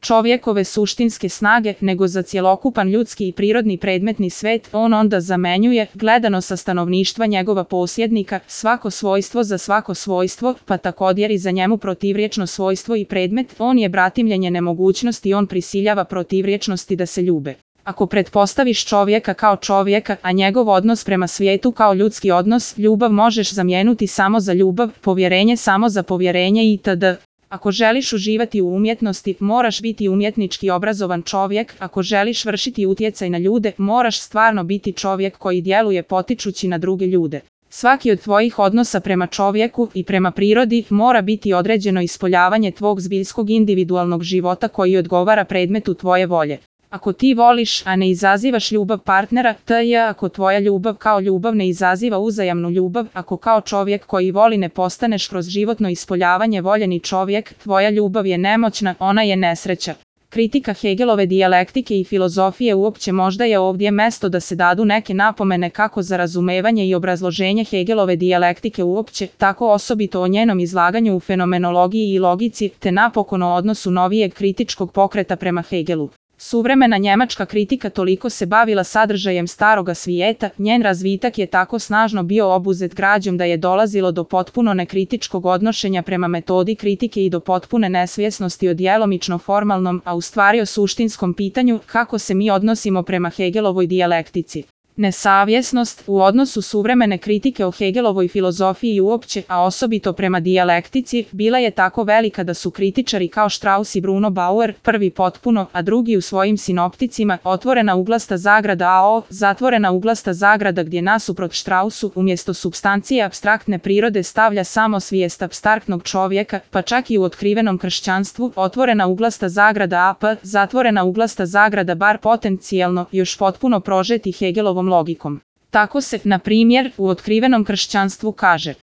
čovjekove suštinske snage, nego za cjelokupan ljudski i prirodni predmetni svet, on onda zamenjuje, gledano sa stanovništva njegova posjednika, svako svojstvo za svako svojstvo, pa također i za njemu protivriječno svojstvo i predmet, on je bratimljenje nemogućnosti, on prisiljava protivriječnosti da se ljube. Ako pretpostaviš čovjeka kao čovjeka, a njegov odnos prema svijetu kao ljudski odnos, ljubav možeš zamijeniti samo za ljubav, povjerenje samo za povjerenje itd. Ako želiš uživati u umjetnosti, moraš biti umjetnički obrazovan čovjek, ako želiš vršiti utjecaj na ljude, moraš stvarno biti čovjek koji djeluje potičući na druge ljude. Svaki od tvojih odnosa prema čovjeku i prema prirodi mora biti određeno ispoljavanje tvog zbiljskog individualnog života koji odgovara predmetu tvoje volje. Ako ti voliš, a ne izazivaš ljubav partnera, ako tvoja ljubav kao ljubav ne izaziva uzajamnu ljubav, ako kao čovjek koji voli ne postaneš kroz životno ispoljavanje voljeni čovjek, tvoja ljubav je nemoćna, ona je nesreća. Kritika Hegelove dijalektike i filozofije uopće možda je ovdje mjesto da se dadu neke napomene kako za razumevanje i obrazloženje Hegelove dijalektike uopće, tako osobito o njenom izlaganju u fenomenologiji i logici, te napokon o odnosu novijeg kritičkog pokreta prema Hegelu. Suvremena njemačka kritika toliko se bavila sadržajem staroga svijeta, njen razvitak je tako snažno bio obuzet građom da je dolazilo do potpuno nekritičkog odnošenja prema metodi kritike i do potpune nesvjesnosti o djelomično formalnom, a u stvari o suštinskom pitanju kako se mi odnosimo prema Hegelovoj dijalektici. Nesavjesnost u odnosu suvremene kritike o Hegelovoj filozofiji uopće, a osobito prema dijalektici, bila je tako velika da su kritičari kao Strauss i Bruno Bauer, prvi potpuno, a drugi u svojim sinopticima, otvorena uglasta zagrada AO, zatvorena uglasta zagrada gdje nasuprot Straussu, umjesto supstancije apstraktne prirode stavlja samo svijest apstraktnog čovjeka, pa čak i u otkrivenom kršćanstvu, otvorena uglasta zagrada AP, zatvorena uglasta zagrada bar potencijalno, još potpuno prožeti Hegelovom logikom. Tako se, na primjer, u otkrivenom kršćanstvu kaže: